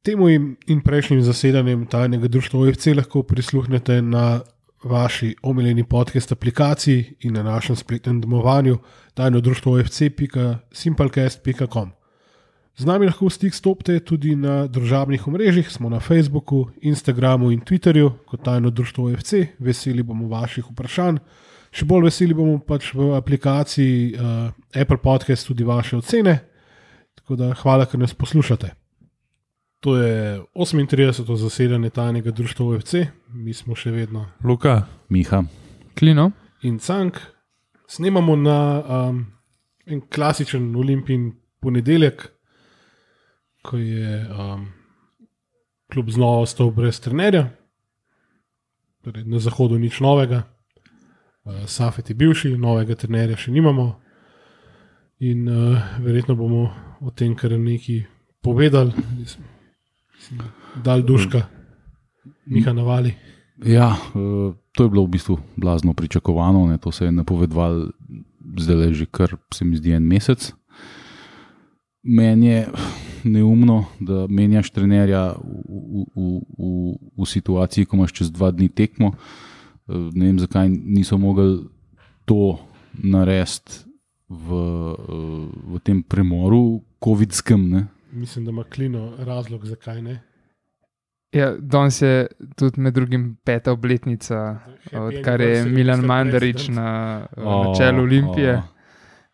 Temu in prejšnjim zasedanjem tajnega društva OFC lahko prisluhnete na vaši omiljeni podcast aplikaciji in na našem spletnem domovanju tajnodruštvofc.simplecast.com. Z nami lahko v stik stopite tudi na družabnih omrežjih, smo na Facebooku, Instagramu in Twitterju kot Tajno društvo OFC. Veseli bomo vaših vprašanj. Še bolj veseli bomo pač v aplikaciji Apple Podcast tudi vaše ocene. Tako da hvala, ker nas poslušate. To je 38. zasedanje Tajnega društva OFC. Mi smo še vedno Luka, Miha, Klino in Cank. Snemamo na en klasičen Olimpijin ponedeljek, ko je klub znova ostal brez trenerja. Torej, na zahodu nič novega. Safet je bivši, novega trenerja še nimamo. In verjetno bomo o tem kar nekaj povedali. Dal duška, Miha navali. Ja, to je bilo v bistvu blazno pričakovano, ne? To se je napovedovalo zdaj že kar, se mi zdi, en mesec. Meni je neumno, da menjaš trenerja v situaciji, ko imaš čez 2 dni tekmo. Ne vem, zakaj niso mogli to narediti v tem premoru covidskem, ne? Mislim, da ima Klino razlog, zakaj ne. Ja, danes je tudi med drugim 5. obletnica, odkar je Milan Mandarić na čelu Olimpije.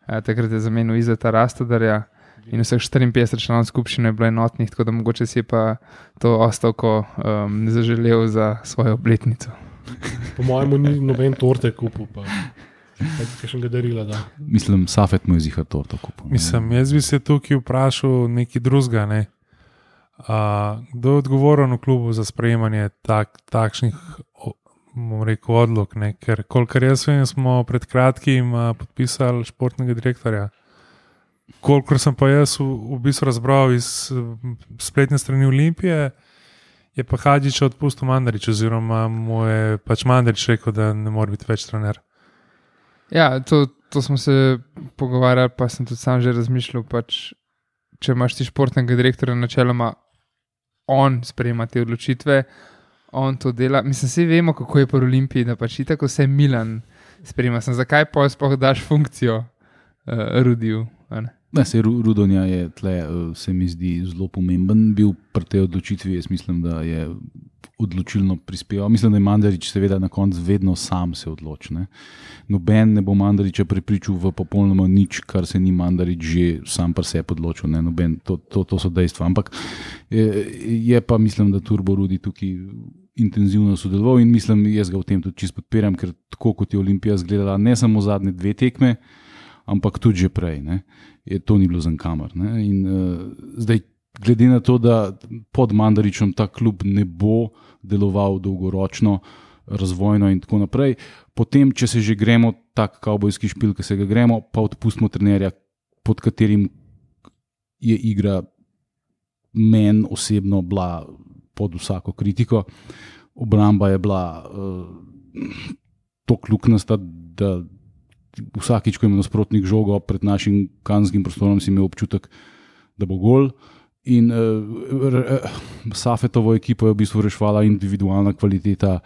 Takrat je zamenil Izeta Rastodarja in vseh 54 članov skupščine je bilo enotnih, tako da mogoče si je pa to ostavko zaželel za svojo obletnico. Po mojemu ni noben torte kupil, pa še ga darila, da. Mislim, Safet mu je zihar torto kupil. Mislim, jaz bi se tukaj vprašal nekaj drugega, ne? Kdo je odgovoren v klubu za sprejemanje takšnih, bom rekel, odlok, ne? Ker kolikor jaz vem, smo pred kratkim podpisali športnega direktorja. Kolikor sem pa jaz v bistvu razbral iz spletne strani Olimpije, je pa Hadžić odpustil Mandarić, oziroma mu je pač Mandarić rekel, da ne more biti več trener. Ja, to smo se pogovarjali, pa sem tudi sam že razmišljal, pač, če imaš ti športnega direktorja, načeloma on sprejema te odločitve, on to dela. Mislim, vsi vemo, kako je po Olimpiji, da pač tako vse Milan sprejema. Zakaj pa sploh daš funkcijo Rudiju? Ne, se Rudonja je tle, se mi zdi, zelo pomemben bil pri tej odločitvi. Jaz mislim, da je odločilno prispeval. Mislim, da je Mandarić seveda na koncu vedno sam se odloči. Noben ne bo Mandarića prepričal v popolnoma nič, kar se ni Mandarić že sam pri sebi odločil. Noben, to so dejstva. Ampak je pa, mislim, da Turbo Rudi tukaj intenzivno sodeloval in mislim, jaz ga v tem tudi čisto podpiram, ker tako kot je Olimpija izgledala ne samo zadnje 2 tekme, ampak tudi že prej, to ni bilo za nikamer. In zdaj, glede na to, da pod Mandarićem ta klub ne bo deloval dolgoročno, razvojno in tako naprej, potem, če se že gremo tak kavbojski špil, ki se ga gremo, pa odpustimo trenerja, pod katerim je igra meni osebno bila pod vsako kritiko. Obramba je bila toliko luknasta, da vsakič, ko ima nasprotnik žogo pred našim kazenskim prostorom, si imel občutek, da bo gol. In Safetovo ekipo je v bistvu rešvala individualna kvaliteta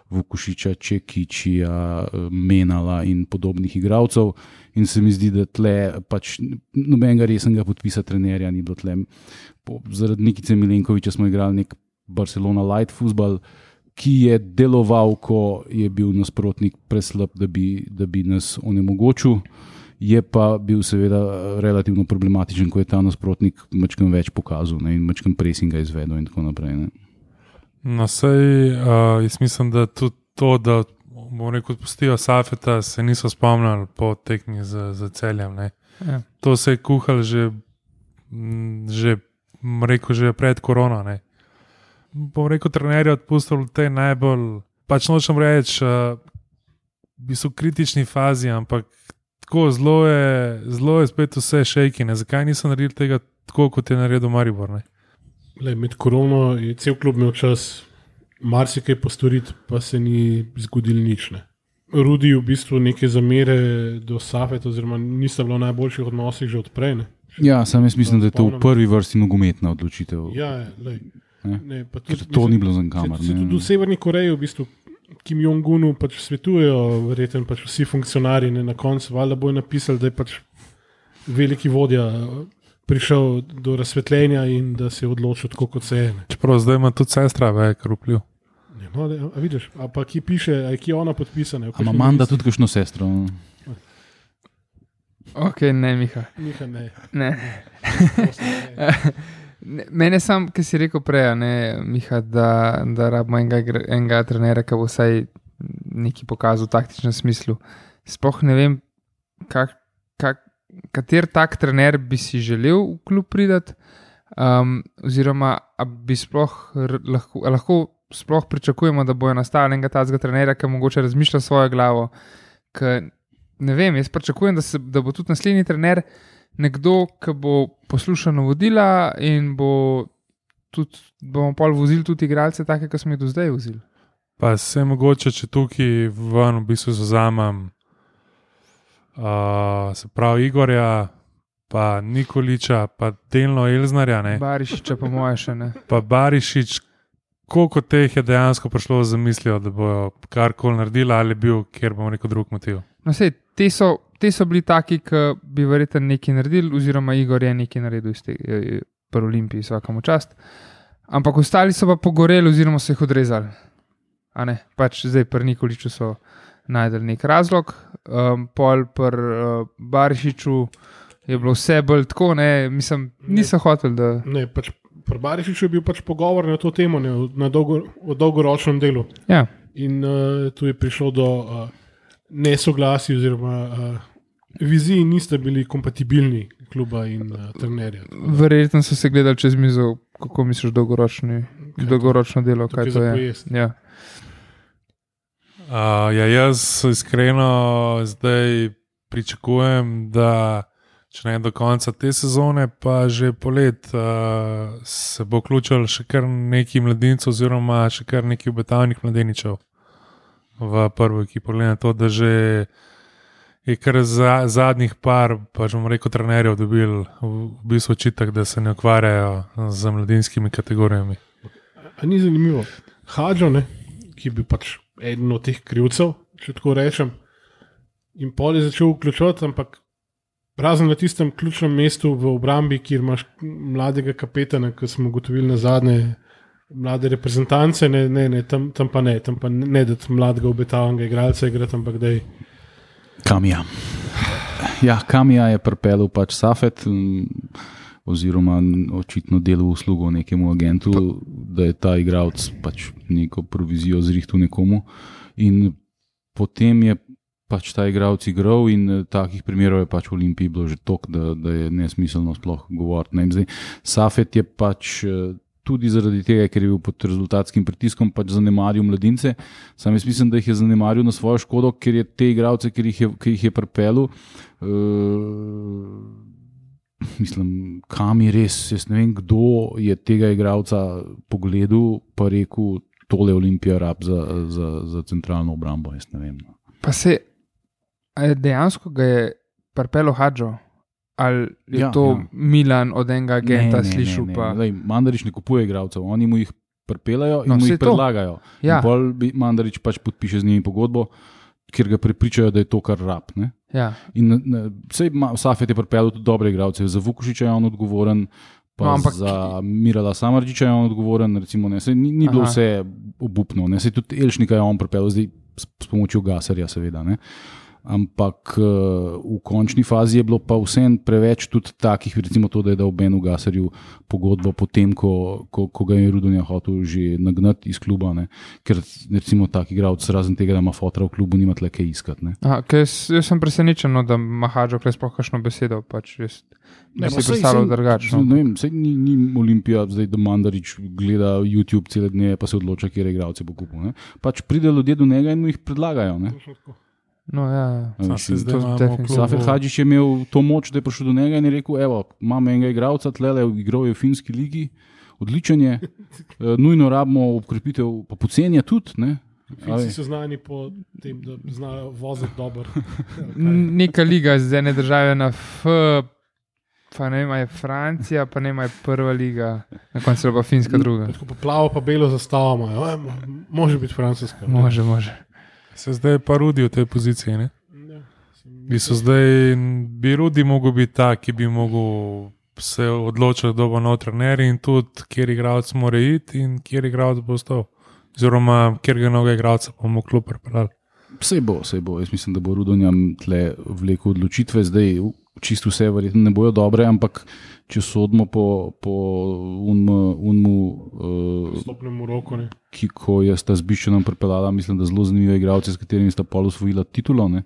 Vukušića, Čekičija, Menala in podobnih igralcev. In se mi zdi, da tle pač nobenega resnega podpisa trenerja ni bilo tle. Zaradi Nikice Milenkovića smo igrali nek Barcelona light futbol, ki je deloval, ko je bil nasprotnik preslab, da bi nas onemogočil. Je pa bil seveda relativno problematičen, ko je ta nasprotnik mačkam več pokazal in mačkam presinga izvedel in tako naprej. No, sej, jaz mislim, da tudi to, da bomo rekel, odpustijo Safeta, se niso spomnili po tekmi za Celjem. Ja. To se je kuhal že pred korono. Bom rekel, trenerje odpustil v tej najbolj, pač nočem reči, v bistvu kritični fazi, ampak tako zelo je spet vse šejki. Zakaj nisem naredil tega tako, kot je naredil Maribor? Med korono je cel klub imel čas marsikaj postoriti, pa se ni zgodilo nič. Rudi v bistvu neke zamere do Safeta, oziroma nista bilo v najboljših odnosih že odprej. Ja, sam jaz mislim, da je to v prvi vrsti nogometna odločitev. Ja, Ne? To ni bilo za kamer. Tudi v Severni Koreji, v bistvu, Kim Jong-unu pač svetujejo, verjetno pač vsi funkcionarji, na koncu valjda bojo napisali, da je pač veliki vodja prišel do razsvetljenja in da se je odločil tako, kot se je. Čeprav zdaj ima tudi sestra velik vpliv. No, a vidiš, a pa ki piše, a je ona podpisana. Ima Amanda tudi kakšno sestro? Ok, ne, Miha. Miha, ne. Ne. Mene sam, ki si rekel prej, ne, Miha, da rabimo enega trenera, ki bo vsaj nekaj pokazal v taktičnem smislu. Sploh ne vem, kater tak trener bi si želel v klub pridati, oziroma bi sploh lahko sploh pričakujemo, da bojo nastali enega tazga trenera, ki mogoče razmišlja svojo glavo. Ne vem, jaz pričakujem, da bo tudi naslednji trener nekdo, ki bo poslušal navodila in bomo pol vozili tudi igralce take, ki smo jih do zdaj vozili. Pa se mogoče, če tukaj ven v bistvu zazamem se pravi Igorja, pa Nikoliča, pa delno Elznarja. Ne? Barišiča pa moje še ne. Pa Barišič, koliko teh je dejansko prišlo z zamislijo, da bojo karkoli naredili, ali je bil, kjer bomo rekel, drug motiv. No sej, te so bili taki, ki bi verjetno nekaj naredili, oziroma Igor je nekaj naredil iz tega pri Olimpiji, svakamu čast. Ampak ostali so pa pogoreli, oziroma so jih odrezali. A ne, pač zdaj pri Nikoliču so najdel nek razlog, pol pri Barišiču je bilo vse bolj tako, ne, mislim, niso hoteli, da... Ne, pač pri Barišiču je bil pač pogovor na to temo, ne, o dolgoročnem delu. Ja. In tu je prišlo do nesoglasij oziroma viziji niste bili kompatibilni kluba in trenerja. Verjetno so se gledali čez mizo, kako misliš dolgoročno delo, kaj to je. Ja. Jaz iskreno zdaj pričakujem, da če ne do konca te sezone, pa že polet se bo vključil še kar nekaj mladincev oziroma še kar nekaj obetavnih mladeničev v prvo ekipo. Glede na to, da že je kar zadnjih par, pa že bomo rekel, trenerjev dobil v bistvu očitek, da se ne ukvarjajo z mladinskimi kategorijami. A ni zanimivo? Hadžo, ne, ki bi pač eden od teh krivcev, če tako rečem, in pol je začel vključovati, ampak razen na tistem ključnem mestu v obrambi, kjer imaš mladega kapetana, ki smo ugotovili na zadnje mlade reprezentance, tam pa ne dati mladega obetavnega igralca igrati, ampak daj. Kamija. Ja, Kamija je pripeljal pač Safet, oziroma očitno delal uslugo nekemu agentu, da je ta igralec pač neko provizijo zrihtel nekomu in potem je pač ta igralec igral in takih primerov je pač v Olimpiji bilo že toliko, da je nesmiselno sploh govoriti. Safet je pač tudi zaradi tega, ker je bil pod rezultatskim pritiskom, pač zanemaril mladince. Sam jaz mislim, da jih je zanemaril na svojo škodo, ker je te igralce, ki jih je pripeljal, mislim, kam je res, jaz ne vem, kdo je tega igralca pogledal, pa rekel, tole Olimpija rab za centralno obrambo, jaz ne vem. Pa se dejansko ga je pripeljal Hadžo, ali je to Milan od enega agenta slišal? Mandarić ne kupuje igralcev, oni mu jih pripeljajo in mu jih predlagajo. Ja. In pol Mandarić pač podpiše z njimi pogodbo, kjer ga prepričajo, da je to kar rab. Ne? Ja. In Safet je pripeljal tudi dobre igralce, za Vukušiča je on odgovoren, pa za Mirala Samardžiča je on odgovoren, recimo, ne, ni bilo vse obupno, ne, tudi Elšnika je on pripeljal, zdaj s pomočjo Gasarja seveda, ne. Ampak v končni fazi je bilo pa vsem preveč tudi takih, recimo to, da je dal Benu Gasarju pogodbo potem, ko ga je Rudonja hotel že nagnati iz kluba, ne? Ker recimo tak igralec razen tega, da ima fotra v klubu, nima tle kaj iskati. Jaz sem presenečen, da ima Hadžo sploh kakšno besedo, pač jaz ne si predstavljal drugačno. Ne vem, sej ni Olimpija zdaj, da Mandarić gleda YouTube cele dneve, pa se odloča, kjer igralce bo kupil. Ne? Pač pride ljudje do njega in mu jih predlagajo. Ne? No, ja. Safet Hadžić je imel to moč, da je prišel do njega in je rekel, evo, imam enega igralca, tlele igral je v finski ligi, odličen je, nujno rabimo obkrepitev, pa pocenja tudi, ne? Finci so znani po tem, da znajo voziti dobro. Neka liga z ene države na Pa ne ima je Francija, pa ne ima je prva liga, na koncu pa Finska druga. Tako pa plavo, pa belo zastavo imajo. Može biti francoska. Može. Se zdaj pa Rudi v tej poziciji. Ne? Ja, Bi Rudi mogel biti ta, ki bi mogel se odločiti, kdo bo nov trener in tudi, kjer igralec mora iti in kjer igralec bo ostal. Oziroma, kjer ga novega igralca bomo klub pripeljali. Vse bo. Jaz mislim, da bo Rudonjam tle vlekel odločitve. Zdaj čisto vse verjetno ne bojo dobre, ampak če sodimo po stopnemu roku, ne. Ko je sta z Biščanom pripeljala, mislim, da zelo zanimive igralce, s katerimi sta pol osvojila titulo, ne.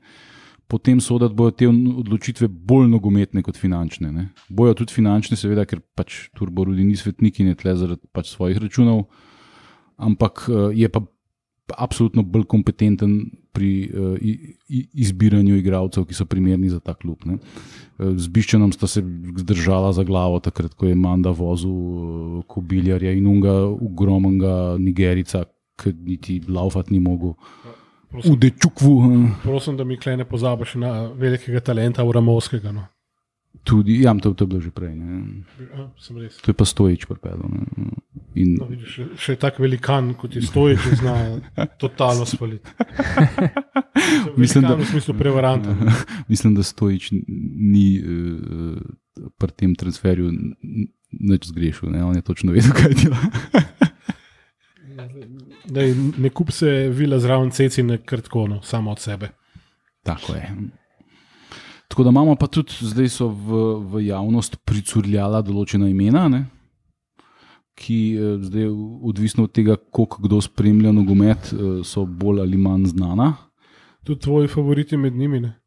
Potem sodati bojo te odločitve bolj nogometne kot finančne. Ne. Bojo tudi finančne, seveda, ker pač Turbo Rudi ni svetnik in je tle zaradi pač svojih računov, ampak je pa absolutno bolj kompetenten pri izbiranju igralcev, ki so primerni za ta klub. Ne. Z Biščanom sta se zdržala za glavo takrat, ko je Manda vozil Kobiljarja in unga ogromnega Nigerica, ki niti laufat ni mogel. V Dečukvu. Prosim, da mi klej ne pozabiš na velikega talenta Uramovskega. No. Tudi, ja, to je bilo že prej. Ne. Sem res. To je pa Stojič pripeljal. In... No, vidiš, še tak velikan, kot je Stojič, zna totalno spaliti. Mislim, da v smislu prevaranta. Mislim, da Stojič ni pri tem transferju nič zgrešil. Ne. On je točno vedel, kaj dela. Ne kup se vila zraven cecine krtkono, samo od sebe. Tako je. Tako da imamo pa tudi, zdaj so v javnost pricurljala določena imena, ne? Ki zdaj, odvisno od tega, koliko kdo spremlja nogomet, so bolj ali manj znana. Tudi tvoji favoriti med njimi, ne?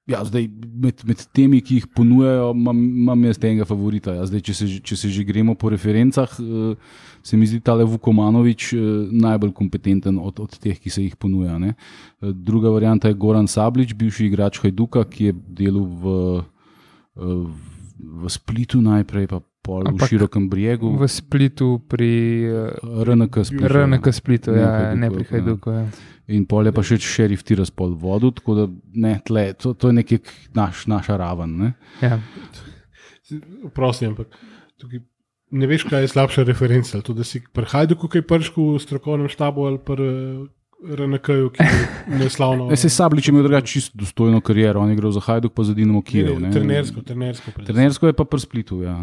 Ja, zdaj med temi, ki jih ponujajo, imam jaz enega favorita. Ja, zdaj, če se že gremo po referencah, se mi zdi tale Vukomanovič najbolj kompetenten od teh, ki se jih ponuja. Ne. Druga varianta je Goran Sablič, bivši igrač Hajduka, ki je delal v Splitu najprej, pa pol v Širokem Brijegu. V Splitu pri RNK Splitu, ja, ne pri Hajduku. Ja. In pol je pa še Šerif Tiraspol vodil, tako da ne, tle, to je nekaj naša raven. Ne? Ja. Prosim, ampak tukaj ne veš, kaj je slabša referenca. To, da si pri Hajduku kaj prško v strokovnem štabu ali pri RNK-ju, ki je neslavno. Se Sablič je imel drugače čisto dostojno kariero, on je igral za Hajduk pa za Dinamo Kijev. Trenersko je pa pri Splitu, ja.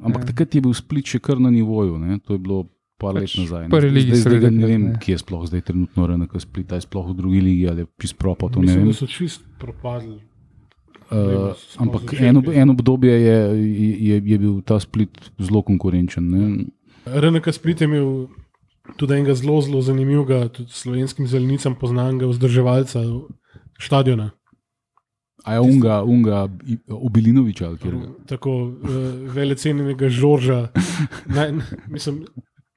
Ampak takrat je bil Split še kar na nivoju, ne? To je bilo par let nazaj. Zdaj ne vem, kje je sploh zdaj trenutno RNK Split, je sploh v drugi ligi ali je čist propad, to ne vem. Mislim, da so čist propadli. Ampak eno obdobje je bil ta Split zelo konkurenčen. Ne? RNK Split je imel tudi enega zelo zanimivega, tudi slovenskim zelenicam poznanega vzdrževalca štadiona. A je unga Obilinoviča? Tako velecenjenega Žorža. Mislim,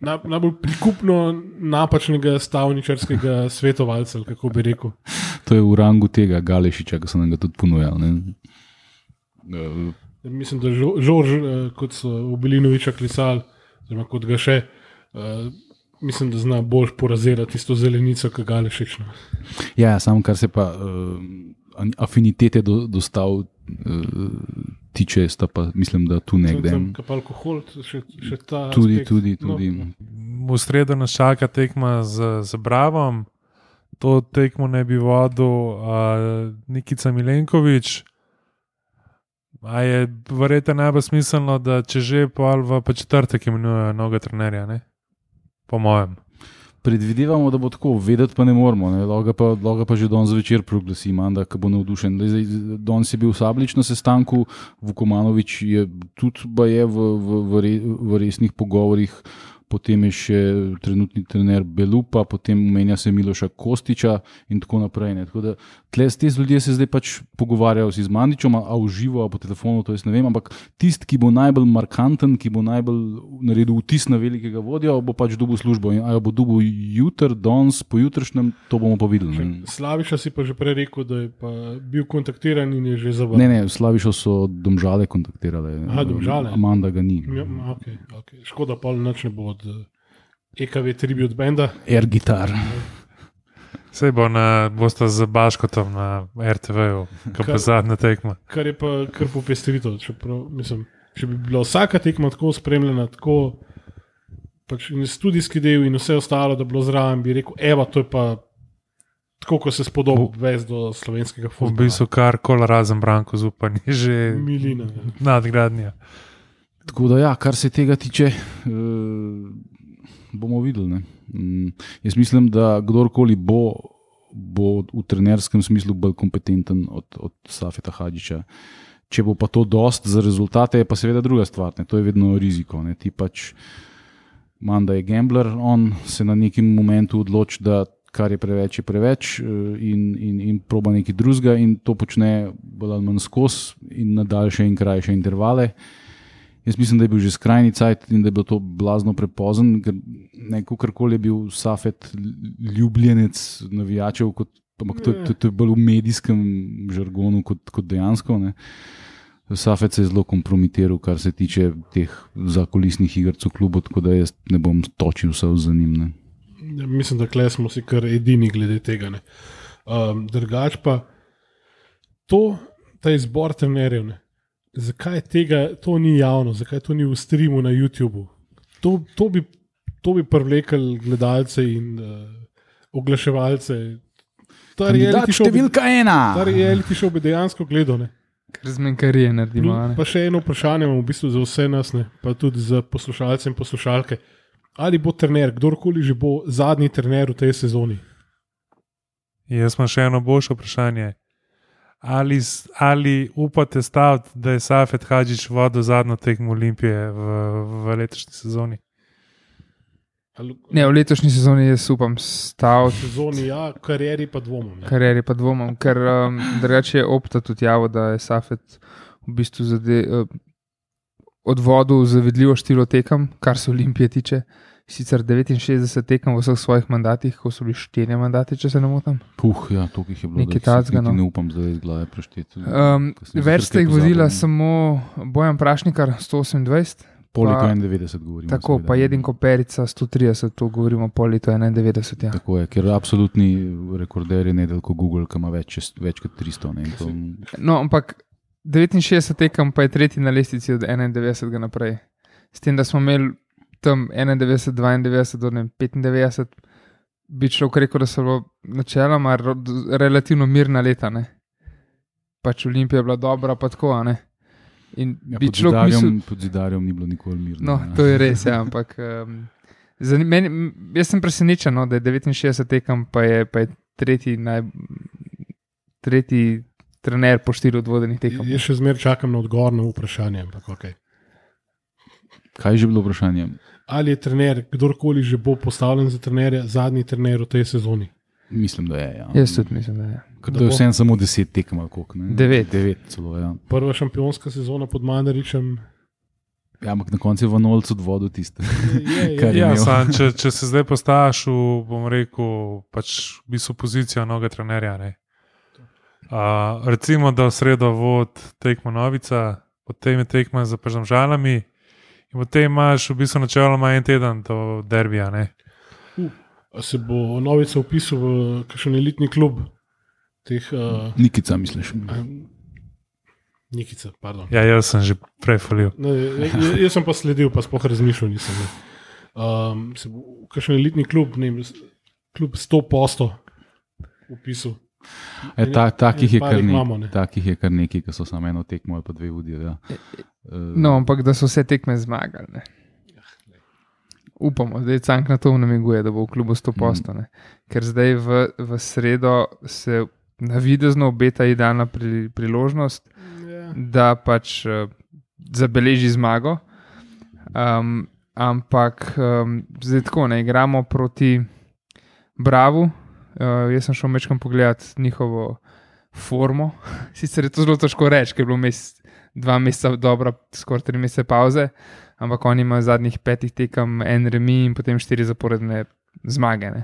najbolj prikupno napačnega stavničarskega svetovalca, kako bi rekel. To je v rangu tega Galešiča, ki so nam ga tudi ponujali. Mislim, da Žorž, kot so Obilinoviča klisali, oziroma kot ga še, mislim, da zna bolj porazirati tisto zelenico, kot Galešič. Ja, samo kar se pa afinitete do stav tiče, sta pa mislim, da tu nekde. Kap alkohol, še ta Tudi. No. V sredo nas čaka tekma z Bravom. To tekmo ne bi vodil Nikica Milenkovič. A je verjetno najbolj smiselno, da če že v četrtek imenujejo novega trenerja, ne? Po mojem. Predvidevamo, da bo tako, vedeti pa ne moramo. Ne? Lahko pa že danes zvečer proglasi Manda, ki bo navdušen. Danes je bil Sablič na sestanku, Vukomanovič je tudi v resnih pogovorih, potem je še trenutni trener Belupa, potem menja se Miloša Kostiča in tako naprej. Ne? Tako da te ljudje se zdaj pač pogovarjajo si z Mandičom, a v živo, a po telefonu, to jaz ne vem, ampak tisti, ki bo najbolj markanten, ki bo najbolj naredil vtis na velikega vodja, bo pač dobil službo. In, a jo bo dobil jutr, danes, pojutrišnjem, to bomo pa videli. Slaviša si pa že prej rekel, da je pa bil kontaktiran in je že zavrnil. Ne, Slavišo so Domžale kontaktirale. Aha, Domžale. Amanda ga ni. Ja, okay. Škoda, pa nič ne bo od EKV Tribute Banda. Air Guitar. Sej bosta z Baškotom na RTV-u, ko pa zadnja tekma. Kar je pa kar popestritev. Če bi bila vsaka tekma tako spremljena, tako pač in studijski del in vse ostalo, da bi bilo zraven, bi rekel, evo, to je pa tako, ko se spodobi vez do slovenskega V futbola. bistvu kar kol razen Branko Zupan je že Milina. nadgradnja. Tako da, ja, kar se tega tiče, bomo videli. Ne? Jaz mislim, da kdorkoli bo v trenerskem smislu bolj kompetenten od Safeta Hadžića. Če bo pa to dost za rezultate, je pa seveda druga stvar. Ne? To je vedno riziko. Ne? Ti pač Manda je gambler, on se na nekem momentu odloči, da kar je preveč in proba nekaj drugega in to počne bolj ali manj skozi in na daljše in krajše intervale. Jaz mislim, da je bil že skrajni cajt in da je bilo to blazno prepozen, ker kakorkoli je bil Safet ljubljenec navijačev, ampak to je bolj v medijskem žargonu kot dejansko. Ne. Safet se je zelo kompromitiral, kar se tiče teh zakulisnih igrc v klubu, tako da jaz ne bom točil vse za njim. Ne. Ja, mislim, da kle smo si kar edini glede tega. Drugač pa ta izbor trenerjev, ne. Zakaj to ni javno, zakaj to ni v streamu na YouTubu? To bi privlekel gledalce in oglaševalce. Kandidat številka 1! Ta reality show bi dejansko gledal. Ne. Ker zmenkarije naredimo. Pa še eno vprašanje imam v bistvu za vse nas, ne, pa tudi za poslušalce in poslušalke. Ali bo trener, kdorkoli že bo zadnji trener v tej sezoni? Jaz imam še eno boljše vprašanje. Ali upate staviti, da je Safet Hadžić vodil zadnjo tekmo Olimpije v letošnji sezoni? Ne, v letošnji sezoni jaz upam staviti. V sezoni ja, v karieri pa dvomom. Karieri pa dvomom, ker drugače je Opta tudi javil, da je Safet v bistvu odvodil zavidljivo število tekem, kar se Olimpije tiče. Sicer 69 tekem v vseh svojih mandatih, ko so bili 4 mandati, če se ne motim. Ja, to jih je bilo. Nekaj tacga, no. Ne upam zdaj iz glave prešteti. Več ste jih vodila samo Bojan Prašnikar, 128. Po letu 91 govorimo. Tako, pa Jedinko Perica, 130, to govorimo po letu 91. Ja. Tako je, ker absolutni rekorder je Nedeljko Google, ki ima več kot 300. Ne, to... No, ampak 69 tekem pa je tretji na lestvici od 91 naprej. S tem, da smo imeli tam 91, 92 do 95, bi človek rekel, da so načeloma relativno mirna leta. Ne? Pač Olimpija je bila dobra, pa tako, ne? In ja, bi človek mislil... Pod Zidarjem ni bilo nikoli mirno. No, to je res, ja, ampak jaz sem presenečen, no, da je 69 tekem, pa je tretji trener po 4 odvodenih tekem. Jaz še zmeraj čakam na odgovor na vprašanje, ampak okej. Kaj je že bilo vprašanje? Ali je trener, kdorkoli že bo postavljen za trenerja, zadnji trener v tej sezoni? Mislim, da je. Ja. Jaz tudi mislim, da je. Da je vsem samo 10 tekem, ali koliko? 9 celo, ja. Prva šampionska sezona pod Mandaričem. Ja, ampak na koncu je Vanolc odvodil tiste. Ja, če se zdaj postaviš v, bom rekel, pač v bistvu pozicijo novega trenerja. Recimo, da v sredo vod tekmo Novica, potem je tekma za Domžalami. In potem imaš v bistvu načeloma en teden do derbija. Se bo Novica vpisal v kakšen elitni klub? Nikica, misliš? Nikica, pardon. Ja, jaz sem že prej falil. Jaz sem pa sledil, pa sploh razmišljal nisem. Se bo kakšen elitni klub, ne vem, klub 100% vpisal. Takih je kar nekaj, ki so samo eno tekmo ali pa dve vodijo. Ja. No, ampak da so vse tekme zmagali. Ne. Upamo, zdaj Cank na to namiguje, da bo v klubu 100%. Ker zdaj v sredo se navidezno obeta idealna priložnost, da pač zabeleži zmago. Ampak zdaj tako, ne igramo proti Bravu. Jaz sem šel mečkam pogledat njihovo formo. Sicer je to zelo težko reči, ker je bilo 2 meseca dobra, skoraj 3 mesece pauze, ampak oni imajo zadnjih 5 tekem en remi in potem 4 zaporedne zmage. Ne.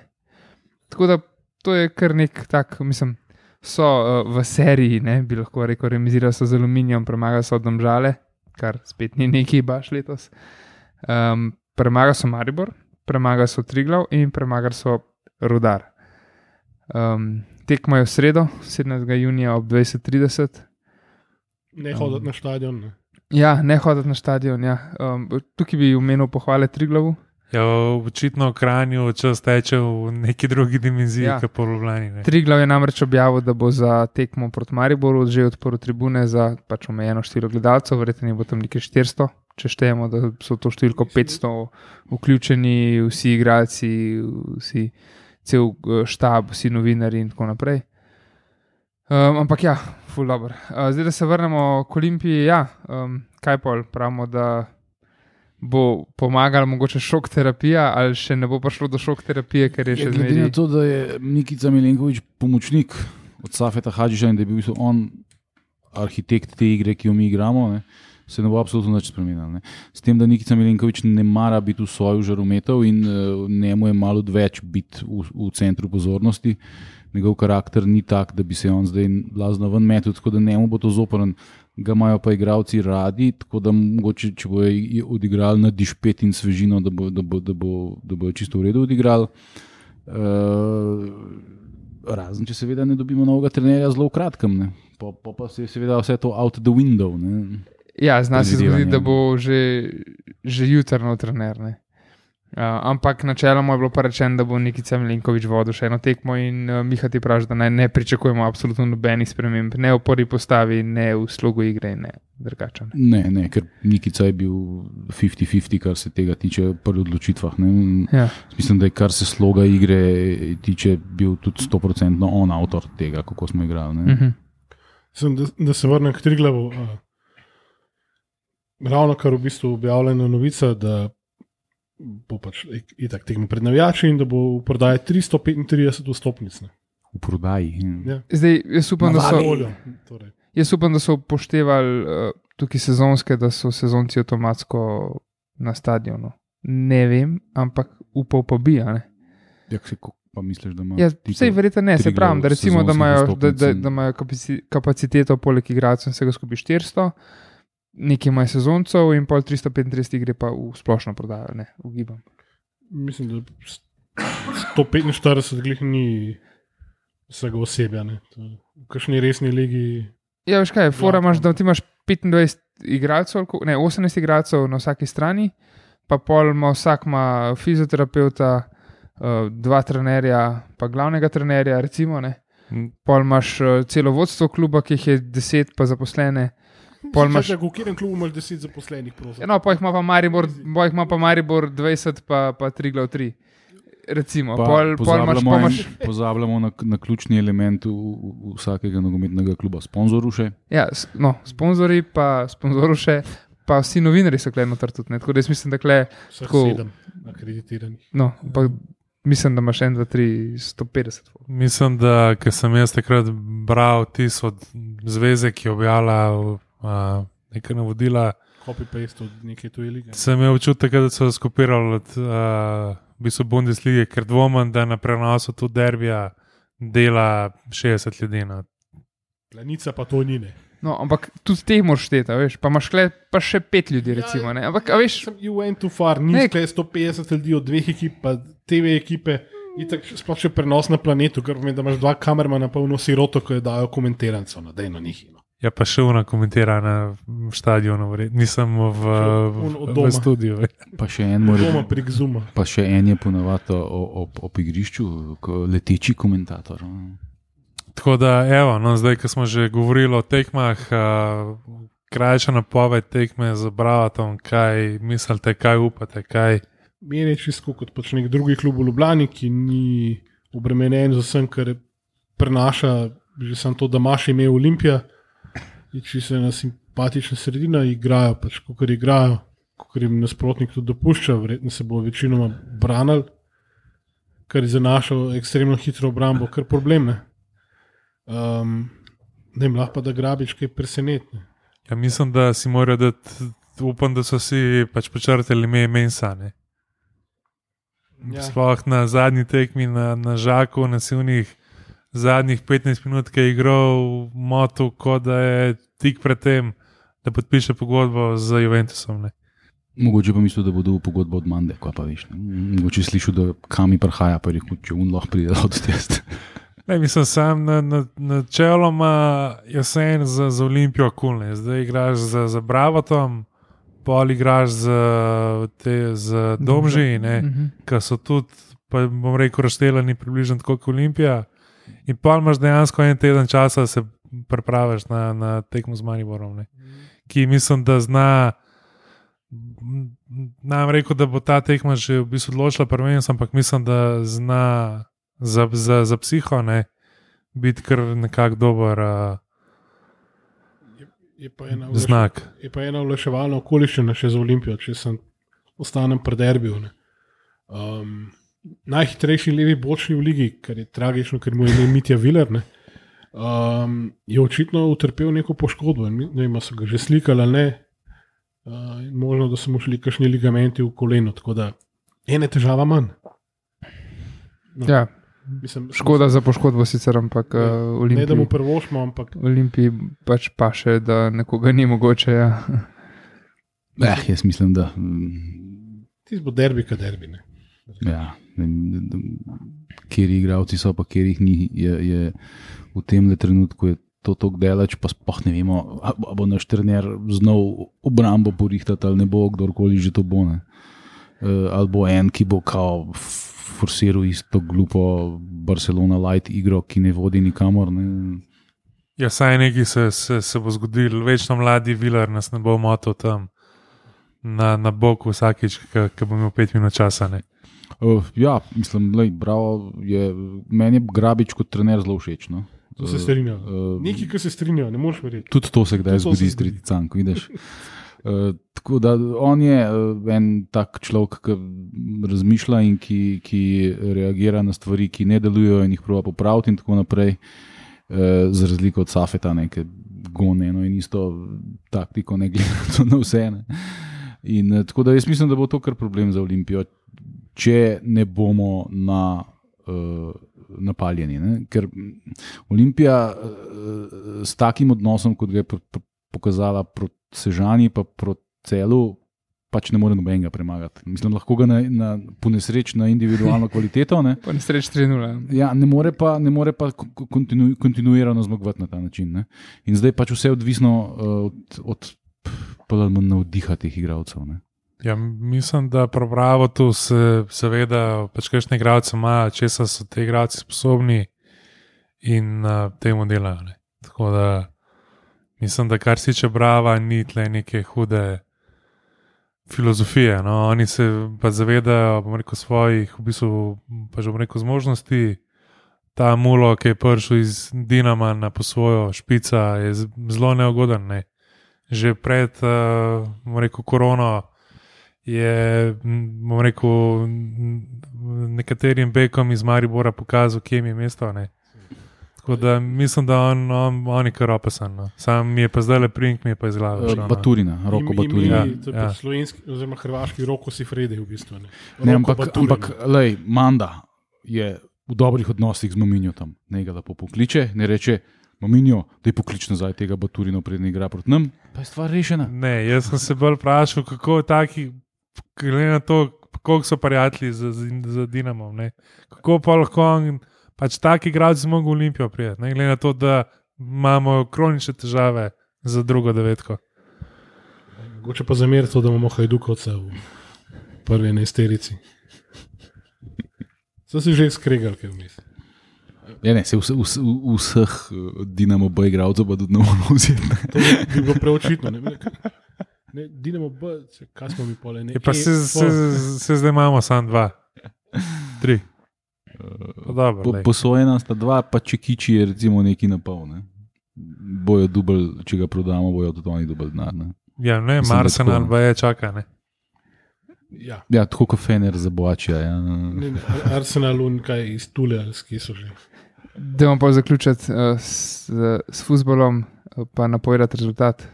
Tako da to je kar nek tak, mislim, so v seriji, ne, bi lahko rekel, remizirali so z Aluminijom, premagali so Domžale, kar spet ni neki baš letos. Premagali so Maribor, premagali so Triglav in premagali so Rudar. Tekma je v sredo, 17. junija ob 20:30. Ne hoditi na stadion. Ne. Ja, ne hoditi na stadion. Ja. Tukaj bi omenil pohvale Triglavu. Ja, očitno v Kranju čas teče v neki drugi dimenziji, kot po Ljubljani. Triglav je namreč objavil, da bo za tekmo proti Mariboru že odprl tribune za pač omejeno število gledalcev, verjetno bo tam nekaj 400, če štejemo, da so to številko 500 vključeni vsi igralci, cel štab, vsi novinari in tako naprej. Ampak ja, ful dobro. Zdaj, da se vrnemo k Olimpiji, ja, kaj pol pravimo, da bo pomagala mogoče šok terapija ali še ne bo prišlo do šok terapije, ker je še zmeraj. Glede na to, da je Nikica Milenković pomočnik od Safeta Hadžića in da je bil on arhitekt te igre, ki jo mi igramo, ne, se ne bo absolutno nič spremenilo. S tem, da Nikica Milenković ne mara biti v soju žarometov in njemu je malo več biti v centru pozornosti. Njegov karakter ni tak, da bi se on zdaj blazno ven metil, tako da njemu bo to zoprn. Ga imajo pa igralci radi, tako da mogoče, če bo odigrali na dišpet in svežino, da bo čisto v redu odigrali. Razen, če seveda ne dobimo novega trenerja zelo v kratkem. Pa se je seveda vse to out the window. Ne? Ja, zna se zgoditi, da bo že jutrno trener. Ne? Ampak načeloma je bilo pa rečeno, da bo Nikica Milenković vodil še eno tekmo in Miha ti pravi, da ne pričakujemo absolutno nobenih sprememb, ne v prvi postavi, ne v slogu igre, ne drugače. Ne, ker Nikica je bil 50-50, kar se tega tiče pri odločitvah. Ja. Mislim, da je kar se sloga igre tiče, bil tudi 100% on avtor tega, kako smo igrali. Da se vrnem k Triglavu. Ravno kar v bistvu objavljena novica, da bo pač itak tekmo pred navijači in da bo v prodaji 335 vstopnic. V prodaji? Ja. Zdaj, jaz upam, da so upoštevali tukaj sezonske, da so sezonci avtomatsko na stadionu. Ne vem, ampak upal pa bi, a ne? Jak se pa misliš, da ima? Ja, vsej verjetno ne, se pravim, da recimo, da imajo kapaciteto poleg igralcev vsega skupaj 400, nekaj imajo sezoncov in pol 335 gre pa v splošno prodajo, ne, ugibam. Mislim, da 145 glih ni vsega osebja, ne. V kakšni resni ligi. Ja, veš kaj, fora imaš, da ti imaš 25 igralcev, ne, 18 igralcev na vsaki strani, pa pol vsak ima fizioterapeuta, 2 trenerja, pa glavnega trenerja, recimo, ne. Pol imaš celo vodstvo kluba, ki jih je 10 pa zaposlene. V katerem klubu imaš 10 zaposlenih? No, pa jih ima pa Maribor 20, pa Triglav 3. Recimo, pozabljamo na ključni element vsakega nogometnega kluba, sponzoruše. Ja, no, sponzori pa sponzoruše, pa vsi novinari so kle noter tudi. Tako da jaz mislim, da kle vseh 7 akreditiranih. No, pa mislim, da imaš 1, 2, 3, 150. Mislim, da, ker sem jaz takrat bral tis od zveze, ki je objavila nekaj navodila. Copy-paste od neke tuje lige. Sem imel občutek, da so skopirali od Bundeslige, ker dvomim, da na prenosu tu derbija dela 60 ljudi. Planica pa to ni, ne. No, ampak tudi te moraš šteti, veš, pa imaš pa še 5 ljudi, recimo, ne. Ampak, a veš, you went too far, ni skle 150 ljudi od 2 ekip, pa TV ekipe, itak sploh še prenos na planetu, ker pomeni, da imaš 2 kamermana polno siroto, ko je dajo komentirancev, no, dejno njih. Ja, pa še ona komentira na stadionu, nisem v studiu. Pa še en mora. Doma prek Zuma. Pa še en je ponavadi ob igrišču, leteči komentator. Tako da, evo, no, zdaj, ko smo že govorili o tekmah, krajša napoved tekme z Bravatom, kaj mislite, kaj upate, kaj? Meni je čisto kot pač nek drugi klub v Ljubljani, ki ni obremenjen z vsem, kar prenaša že samo to, da imaš ime Olimpija. Če se na simpatična sredina igrajo, pač kakor igrajo, kakor jim nasprotnik tudi dopušča, verjetno se bo večinoma branil, kar je za našo ekstremno hitro obrambo kar problem. Ne, lahko pa da Grabič kaj presenetne. Ja, mislim, da si morajo dati, upam, da so si pač počrtali ime Mensa, ne. Ja. Sploh na zadnji tekmi na Žaku, na silnih zadnjih 15 minut, ki je igral moto, kot da je tik pred tem, da podpiše pogodbo z Juventusom. Ne. Mogoče pa mislil, da bo dobil pogodbo od Mande, ko pa veš. Ne. Mogoče slišal, da kam mi prihaja, pa rekel, če on lahko pride od test. Ne, mislim, sam načeloma jesen za Olimpijo kulne. Zdaj igraš za Bravatom, pol igraš za Domži, ki so tudi, pa bom rekel, razšteljeni približno tako kot Olimpija. In pol imaš dejansko en teden časa, da se pripraviš na tekmo z Mariborom, ki mislim, da zna. Nam rekel, da bo ta tekma že v bistvu odločila prvenstvo, ampak mislim, da zna za psiho biti kar nekako dober znak. Je pa ena olajševalna okoliščina še za Olimpijo, če ostanem pri derbiju. Najhitrejši levi bočni v ligi, kar je tragično, ker mu je ime Mitja Viler, je očitno utrpel neko poškodbo. Ne vem, so ga že slikali ali ne. Možno, da so mu šli kakšni ligamenti v koleno, tako da ene težava manj. No. Ja, škoda za poškodbo sicer, ampak Olimpiji. Ne, da mu prvošmo, ampak. Olimpiji pač paše, da nekoga ni mogoče. Ja. Jaz mislim, da. Ti bo derbi, ka derbi. Ne? Ja, kjeri igravci so, pa kjeri jih ni, je v tem trenutku je to tako delač, pa spoh ne vemo, ali bo naš trener znal obrambo porihtati, ali ne bo, kdorkoli že to bo. Ali bo en, ki bo kao forsiral isto glupo Barcelona light igro, ki ne vodi nikamor. Ne. Ja, saj nekaj se bo zgodil, večno mladi Viler nas ne bo motil tam na boku vsakič, ki bo imel 5 minut časa. Ne. Ja, mislim, bravo, meni je Grabič kot trener zelo všeč. No. To se strinja. Nekaj, ki se strinja, ne moreš verjeti. Tudi to se kdaj zgodi s Triticanko, vidiš. Tako da on je en tak človek, ki razmišlja in ki reagira na stvari, ki ne delujejo in jih proba popraviti in tako naprej, za razliko od Safeta, ki gone eno in isto taktiko, ne glede na vse. In tako da jaz mislim, da bo to kar problem za Olimpijo, če ne bomo napaljeni. Ne? Ker Olimpija s takim odnosom, kot ga je pokazala proti Sežani, pa proti Celu, pač ne more nobenega premagati. Mislim, lahko ga ponesreči na individualno kvaliteto. Ponesreči 3-0. Ja, ne more pa kontinuirano zmagovati na ta način. Ne? In zdaj pač vse odvisno od navdiha teh igralcev. Ne? Ja, mislim, da prav tu seveda pač kakšne igralce ima, česa so te igralci sposobni in temu delajo. Tako da mislim, da kar se tiče Brava, ni tle neke hude filozofije. No? Oni se pa zavedajo, bom rekel, svojih v bistvu, pač bom rekel, zmožnosti. Ta Mulo, ki je prišel iz Dinama na posvojo špica, je zelo neugoden. Ne? Že pred, bom rekel, korono je, bom rekel, nekaterim bekom iz Maribora pokazal, kje mi je mesto. Ne? Tako da mislim, da on je kar opasan. No? Sam mi je pa zdaj le prink, mi je pa iz glave. Baturina, Roko Baturina. Ja. Slovenski, oziroma hrvaški Roko Sifredi v bistvu. Ampak lej, Manda je v dobrih odnosih z Mominjo tam. Ne ga lepo pokliče, ne reče, Mominjo, da je poklič nazaj tega Baturina, prednji igra proti nam, pa je stvar rešena. Ne, jaz sem se bolj vprašal, kako taki, glede na to, koliko so prijatelji z Dinamom, ne? Kako pa lahko on, pač taki igralci zmogo v Olimpijo prijeti, ne? Glede na to, da imamo kronične težave za drugo devetko. Mogoče pa zameriti to, da imamo Hajdukovce v prvi enajsterici. So si že skregali, kaj vmes. Ja, ne, se vseh Dinamo B igralcev pa tudi ne moramo vzeti. To bi bilo preočitno. Ne, Dinamo B, kaj smo mi pole? Se zdaj imamo samo 2, 3. Posojena sta 2, pa če kiči je recimo neki napol. Ne? Bojo dubl, če ga prodamo, bojo tudi oni dubl denar. Ne? Ja, ne, Arsenal pa je čaka, ne? Ja, tako kot Fener za Boačija. Ja. Arsenal in kaj iz Tule, ali skje so že. Dajmo pa zaključiti s fuzbolom, pa napovedati rezultat.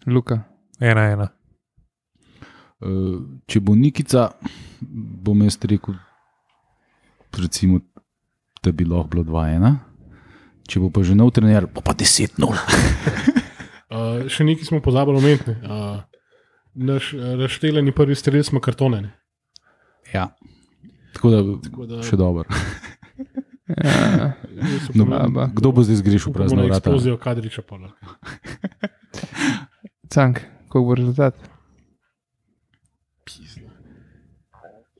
Luka. 1-1. Če bo Nikica, bom jaz rekel, recimo, da bi lahko bilo 2-1. Če bo pa že nov trener, bo pa 10-0. Še nekaj smo pozabili omeniti. Naš razšteljeni prvi strelec smo kartone. Ne? Ja, tako da še dobro. Ja, Kdo bo zdaj zgrešil prazno vrata? Eksplozijo Kadriča pa. Cank, koliko bo rezultat?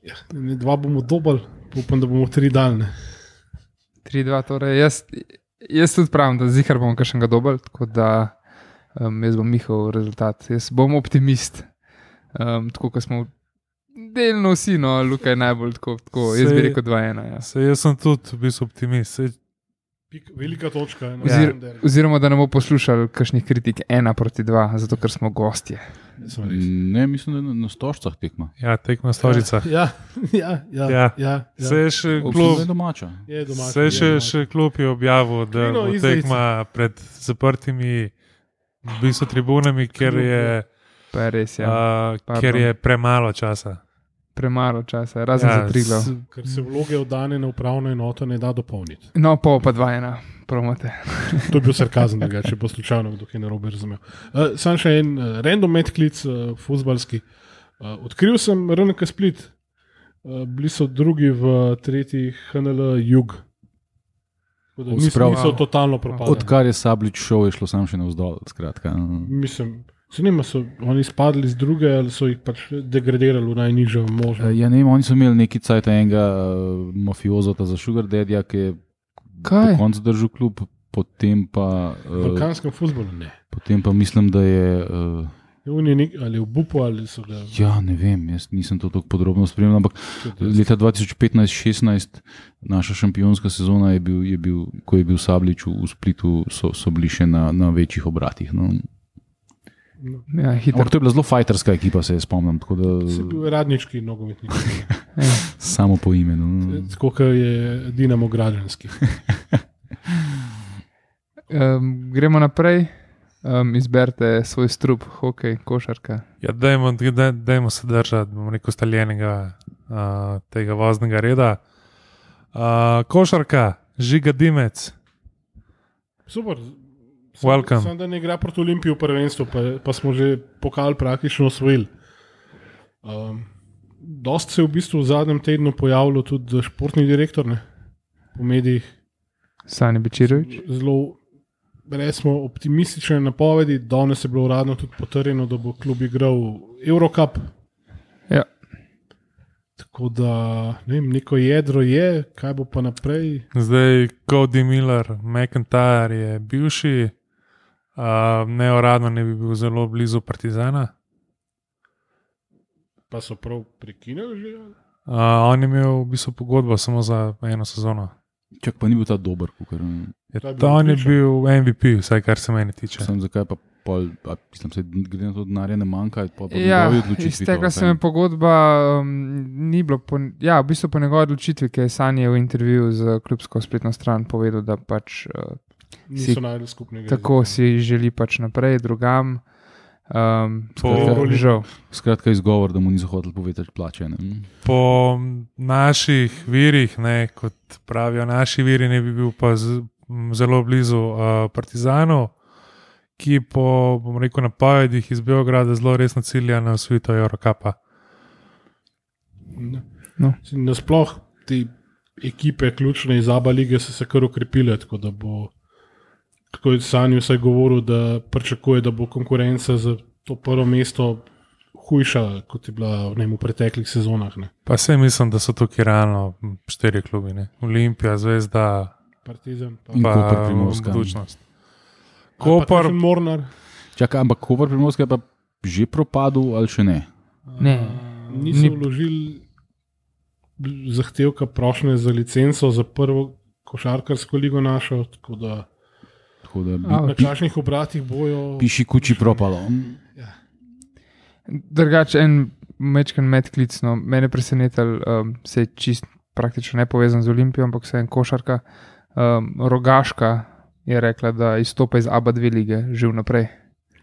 Ja, 2 bomo dobili, upam, da bomo 3 daljne. 3-2, torej jaz tudi pravim, da zihar bomo kakšnega dobili, tako da jaz bom njihov rezultat. Jaz bom optimist, tako kot smo delno vsi, no, Luka je najbolj tako jaz bi rekel 2-1. Ja. Jaz sem tudi v bistvu optimist. Velika točka. Oziroma, da ne bomo poslušali kakšnih kritik 1-2, zato ker smo gostje. Ne, mislim, da na Stožcah tekma. Ja, tekma Stožicah. Ja. Se je še klub, še klub je objavil, da bo tekma pred zaprtimi v bistvu tribunami, ker je, Pa je res, ja. ker je premalo časa. Premalo časa, razen za Triglav. Ker se vloge oddane na upravno enoto ne da dopolniti. No, pa 2-1, promete. To je bil sarkazem, če bo slučajno kdo kaj narobe razumel. Sam še en random medklic, fuzbalski. Odkril sem RNK Split. Bili so drugi v tretji HNL Jug. Niso totalno propadli. Odkar je Sablič šel, je šlo sam še navzdol. Skratka. Mislim, se nima, so oni spadli z druge ali so jih pač degradirali v najnižjo možno? Ja, ne vem, oni so imeli neki cajt enega mafiozota za Sugar Daddy, ki je po koncu držal klub, potem pa... V balkanskem fuzbolu ne. Potem pa mislim, da je... ali v Bupu ali so ga... Ja, ne vem, jaz nisem to tako podrobno spremljal, ampak leta 2015-16 naša šampionska sezona je bil, ko je bil Sablič v Splitu, so bili še na večjih obratih, no. Ja, to je bila zelo fajterska ekipa, se je spomnim. Se je bil radnički nogometnik. Samo po imenu. Tako kot je Dinamo Građanski. Gremo naprej. Izberite svoj strup, hokej, košarka. Ja, dajmo se držati, bom rekel, staljenega tega voznega reda. Košarka, Žiga Dimec. Super. Welcome. Da ne igra proti Olimpiji v prvenstvu, pa smo že pokal praktično osvojili. Dost se je v bistvu v zadnjem tednu pojavilo tudi športni direktor, ne, po medijih. Sani Bečirović. Zelo, recimo, optimistične napovedi. Danes je bilo uradno tudi potrjeno, da bo klub igral Eurocup. Ja. Tako da, ne vem, neko jedro je, kaj bo pa naprej. Zdaj, Cody Miller, McIntyre je bivši. Neuradno ne bi bil zelo blizu Partizana. Pa so prav prekinili že? On je imel v bistvu pogodbo samo za 1 sezono. Čak pa ni bil ta dober, kukor... On je bil MVP, vsaj kar se meni tiče. Sem zakaj pa pol, mislim se, glede na to denarja ne manjka, pa ja, njegovi odločitvi. Iz tega se mi pogodba ni bilo, v bistvu po njegovi odločitvi, ki je Sani v intervjuju z klubsko spletno stran povedal, da pač niso najdel skupnega. Tako si želi pač naprej, drugam. Žal. Skratka izgovor, da mu niso hoteli povedati plače. Ne? Po naših virih, ne, kot pravijo naši viri, ne bi bil pa zelo blizu Partizanu, ki po, bom rekel, napovedih iz Beograda zelo resno cilja na osvojitev Eurocupa. No. Nasploh te ekipe ključne iz ABA lige so se kar ukrepile, tako da bo, tako je Sanji vsaj govoril, da pričakuje, da bo konkurenca za to prvo mesto hujša, kot je bila v preteklih sezonah. Ne. Pa se mislim, da so tukaj realno 4 klubi. Ne. Olimpija, Zvezda, Partizan, pa Budućnost. Koper, Mornar. Čakaj, ampak Koper Primorska je pa že propadel ali še ne? Ne. Niso vložili zahtevka prošnje za licenco za prvo košarkarsko ligo našo, tako da na kakšnih obratih bojo... Piši kuči propalo. Ja. Drugače, en mečken medklicno, mene presenetal, se je čist praktično nepovezan z Olimpijo, ampak se je en košarka, Rogaška je rekla, da izstopa iz ABA 2 lige že vnaprej.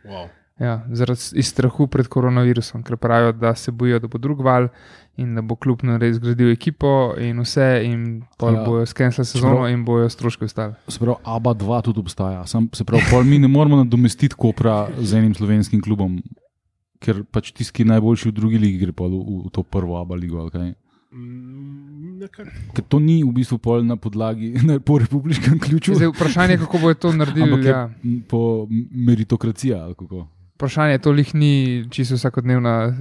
Wow. Ja, zaradi strahu pred koronavirusom, ker pravijo, da se bojijo, da bo drug val in da bo klub zgradil ekipo in vse in bojo skenslali sezono in bojo stroške ostali. Se pravi, ABA 2 tudi obstaja. Se pravi, mi ne moramo nadomestiti Kopra z enim slovenskim klubom, ker pač tisti najboljši v drugi ligi gre pa v to prvo ABA ligo. Okay? Ker to ni v bistvu pol na podlagi, po republiškem ključu. Zdaj, vprašanje je, kako bo to naredili. Ampak je Ja. po meritokracija ali kako. Vprašanje je, to lih ni čisto vsakodnevna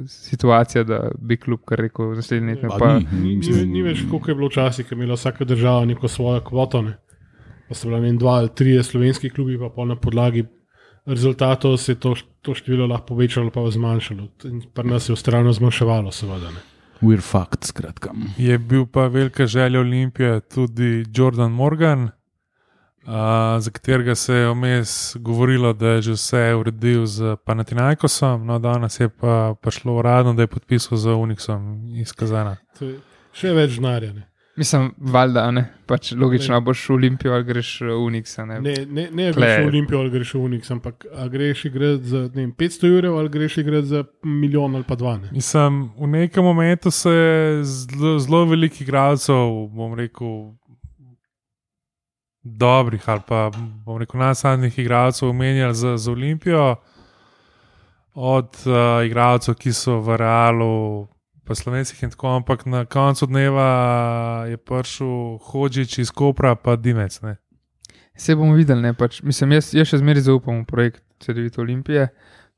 situacija, da bi klub kar rekel naslednji let. Pa Ni več, koliko je bilo včasih, ker je imela vsaka država neko svojo kvoto. Ne? Pa so bila 2 ali 3 slovenski klubi, pa na podlagi rezultatov se je to število lahko povečalo pa zmanjšalo. In pri nas je ustrajno zmanjševalo, seveda. Ne? We're fucked, skratka. Je bil pa velika želja Olimpije tudi Jordan Morgan, za katerega se je vmes govorilo, da je že vse uredil z Panathinaikosom, no danes je pa prišlo uradno, da je podpisal z Unixom iz Kazana. To je še več denarja. Ne? Mislim, valjda, ne. Pač logično, a boš v Olimpijo ali greš v Unixa. Ne greš v Olimpijo ali greš v Unix, ampak a greš igrati za 500 € ali greš igrati za 1 milijon ali pa 2. Ne? Mislim, v nekem momentu se je zelo veliko igralcev, bom rekel, dobrih ali pa bom rekel najsadnih igralcev omenjali za Olimpijo, od igralcev, ki so v Realu, pa Slovencih in tako, ampak na koncu dneva je prišel Hodžič iz Kopra, pa Dimec. Ne? Vse bomo videli, ne, pač, mislim, jaz še zmeraj zaupam v projekt CD-vite Olimpije.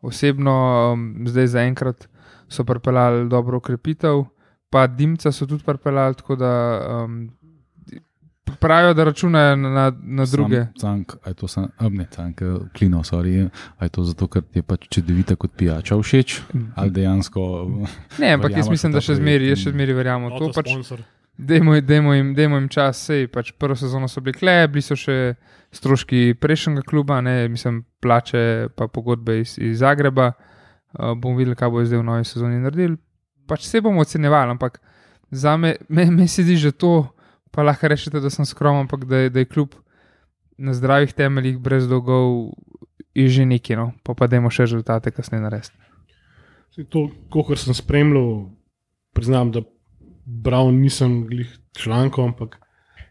Osebno, zdaj zaenkrat so pripeljali dobro ukrepitev, pa Dimca so tudi pripeljali, tako da pravijo, da računajo na druge. Klino, sorry. A je to zato, ker ti je pač CD-vita kot pijača všeč? Ali dejansko... Ne, ampak jaz mislim, da še zmeraj verjamem. To pač, dajmo jim čas, sej, pač prvo sezono so bili so še stroški prejšnjega kluba, ne, mislim, plače pa pogodbe iz Zagreba. Bomo videli, kaj bo zdaj v novi sezoni naredili. Pač se bomo ocenjevali, ampak za me se zdi že to, pa lahko rečete, da sem skromen, ampak da je klub na zdravih temeljih, brez dolgov, je že nekaj, no? Pa dajmo še rezultate kasneje narediti. To, kolikor sem spremljal, priznam, da bral nisem glih člankov, ampak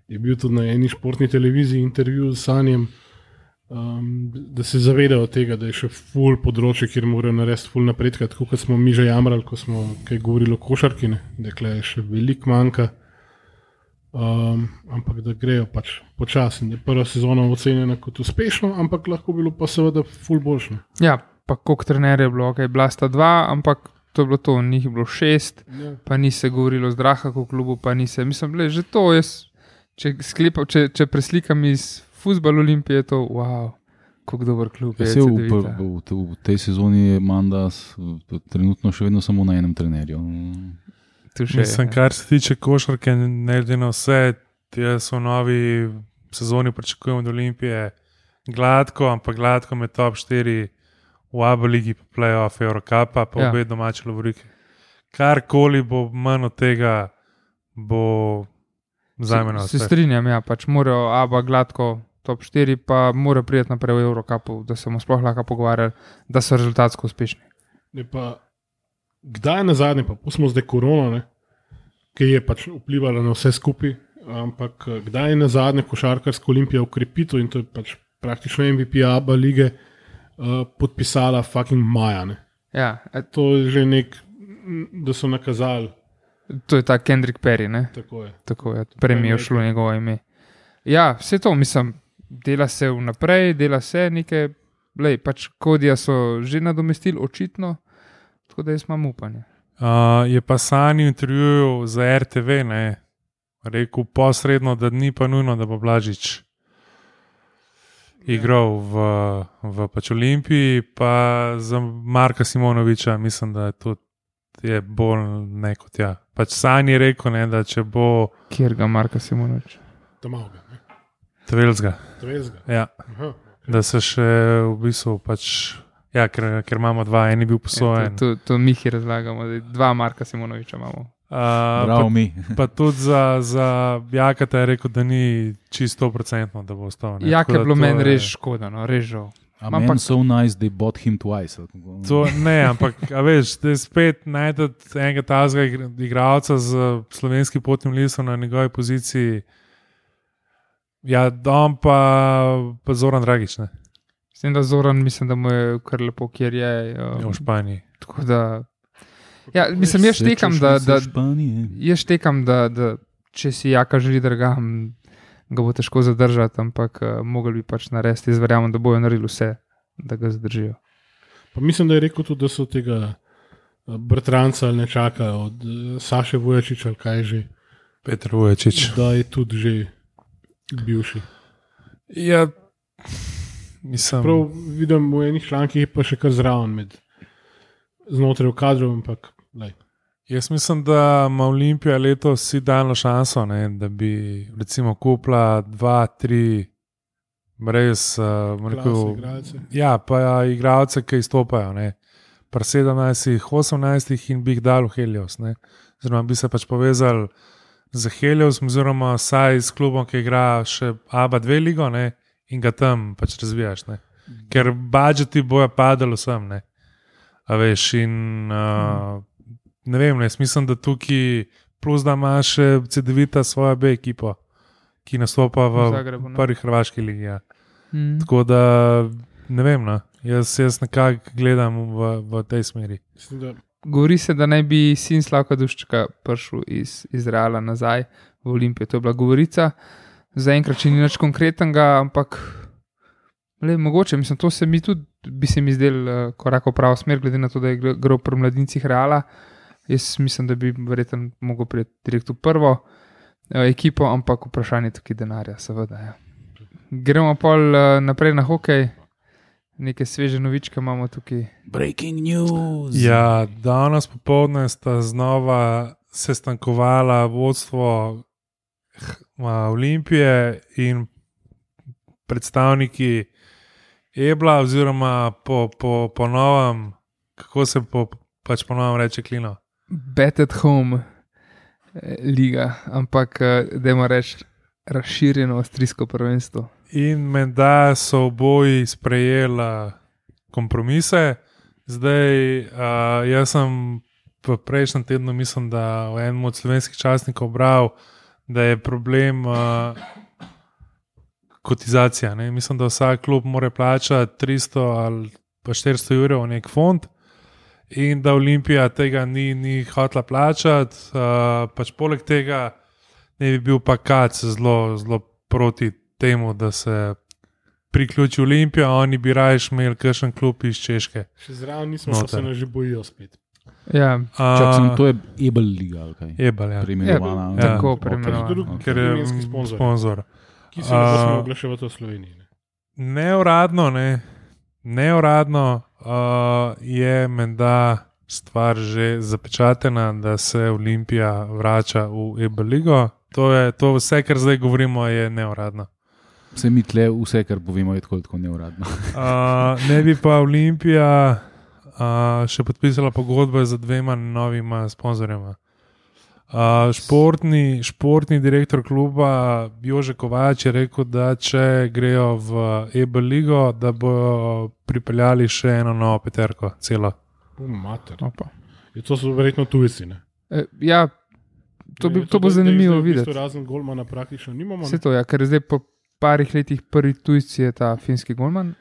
je bil tudi na eni športni televiziji intervju s Sanjem, da se zavedajo tega, da je še ful področje, kjer morajo narediti ful napredka, tako kot smo mi že jamrali, ko smo kaj govorili o košarki, da je še veliko manjka. Ampak da grejo pač počasi. Prva sezona ocenjena kot uspešno, ampak lahko bilo pa seveda ful boljše. Ja, pa koliko trenerjev je bilo, okay, bila sta 2, ampak to je bilo to, njih je bilo 6, ja. Pa ni se govorilo z Drahaku v klubu, pa ni se, mislim, že to jaz, če preslikam iz fuzbal Olimpije, je to, wow, koliko dober klub je. V tej sezoni je Mandas trenutno še vedno samo na enem trenerju. Mislim, kar se tiče košarke, ne glede na vse, jaz v novi sezoni pričakujem od Olimpije gladko, ampak gladko med top 4 v ABA ligi, pa playoff Eurocupa, pa obe domače lovorike. Karkoli bo manj od tega, bo zajmeno. Se strinjam, ja, pač morajo ABA gladko top 4, pa morajo priti naprej v Eurocupu, da se bomo sploh lahko pogovarjali, da so rezultatsko uspešni. Ne pa kdaj na zadnje, pa pustimo zdaj korona, ki je pač vplivala na vse skupaj, ampak kdaj na zadnje košarkarska Olimpija ukrepitev, in to je pač praktično MVP ABA lige, podpisala fucking maja. Ne? Ja. To je že da so nakazali. To je ta Kendrick Perry, ne? Tako je. Tako je, prej mi je šlo njegovo ime. Ja, vse to, mislim, dela se vnaprej, dela se nekaj, pač Kodija so že nadomestili, očitno, tako da jaz imam upanje. Je pa Sani v intervjuju za RTV rekel posredno, da ni pa nujno, da bo Blažič igral v pač Olimpiji, pa za Marka Simonoviča mislim, da je bolj neko tja. Pač Sani je rekel, da če bo... Kjer ga Marka Simonoviča? Tamavga. Tvelzga. Ja. Aha. Da se še v bistvu pač... Ja, ker imamo 2, en je bil posojen. Ja, to mi jih razlagamo, da 2 Marka Simonoviča imamo. Bravo mi. Pa tudi za Jakata je rekel, da ni čisto 100%, da bo ostal. Jak je bilo meni res škoda, no, res žal. Ampak so nice, they bought him twice. To ne, ampak veš, da spet najdete enega tazga igralca z slovenskim potnim listom na njegovi poziciji. Ja, Dom pa Zoran Dragič, ne? S tem, da Zoran mislim, da mu je kar lepo, kjer je. V Španiji. Tako da... Ja, mislim, jaz štekam, Španije. da če si Jaka želi dragam, ga bo težko zadržati, ampak mogli bi pač narediti. Jaz verjamem, da bojo naredili vse, da ga zadržijo. Pa mislim, da je rekel tudi, da so tega bratranca ali nečaka od Saše Vujačiča ali kaj že. Petr Vujačič. Da je tudi že bivši. Ja, mislim. Prav vidim v enih člankih, pa še kar zraven znotraj v kadru, ampak lej. Jaz mislim, da ima Olimpija letos idealno šanso, ne, da bi recimo kupila 2-3 res igralce. Ja, pa igralce, ki izstopajo. Pri 17-18 in bi jih dal v Helios. Oziroma bi se pač povezali z Helios, oziroma vsaj s klubom, ki igra še ABA 2 ligo, ne, in ga tam pač razvijaš. Ne. Ker budžeti bojo padali vsem. Ne. A veš, in ne vem, mislim, da tukaj plus da ima še CD-vita svojo B ekipo, ki nastopa v Zagrebu, prvi hrvaški ligi. Ja. Tako da ne vem, jaz nekako gledam v tej smeri. Govori se, da naj bi sin Slavka Duščaka prišel iz Izraela nazaj v Olimpijo. To je bila govorica. Zaenkrat še ni nič konkretnega, ampak mogoče, mislim, to se mi tudi bi se mi zdel korak v pravo smer, glede na to, da je igral pri mladincih Reala. Jaz mislim, da bi verjetno mogel priti direkt v prvo ekipo, ampak vprašanje tukaj denarja, seveda. Ja. Gremo pol naprej na hokej. Neke sveže novičke imamo tukaj. Breaking news. Ja, danes popoldne sta znova sestankovala vodstvo Olimpije in predstavniki Ebla, oziroma po novem, kako se pač po novem reče Klino? Bet at home liga, ampak dajmo reči razširjeno avstrijsko prvenstvo. In menda so oboji sprejeli kompromise. Zdaj, jaz sem v prejšnjem tednu, mislim, da v enem od slovenskih časnikov bral, da je problem kotizacija. Ne? Mislim, da vsak klub mora plačati 300 ali pa 400 evrov v nek fond in da Olimpija tega ni hotela plačati. Pač poleg tega ne bi bil pa Kac zelo proti temu, da se priključi Olimpija, oni bi raje imeli kakšen klub iz Češke. Še zraven nismo, pa se nas že bojijo spet. Ja, to je Ebel liga, ali kaj? Ebel, ja. Preimenovana. Tako preimenovana. Ker je sponzor. Ki se ne sme oglaševati v Sloveniji. Neuradno je menda stvar že zapečatena, da se Olimpija vrača v Ebel ligo. To vse, kar zdaj govorimo, je neuradno. Vse mi tle, vse, kar povemo, je tako neuradno. Ne bi pa Olimpija še podpisala pogodbe z 2 novima sponzorjema. Športni direktor kluba Jože Kovač je rekel, da če grejo v Ebel ligo, da bojo pripeljali še eno novo peterko, celo. To so verjetno tujci, ne? Ja, to bo zanimivo videti. Razen golmana praktično nimamo. Vse to, ja, ker zdaj po parih letih prvi tujci je ta finski golman.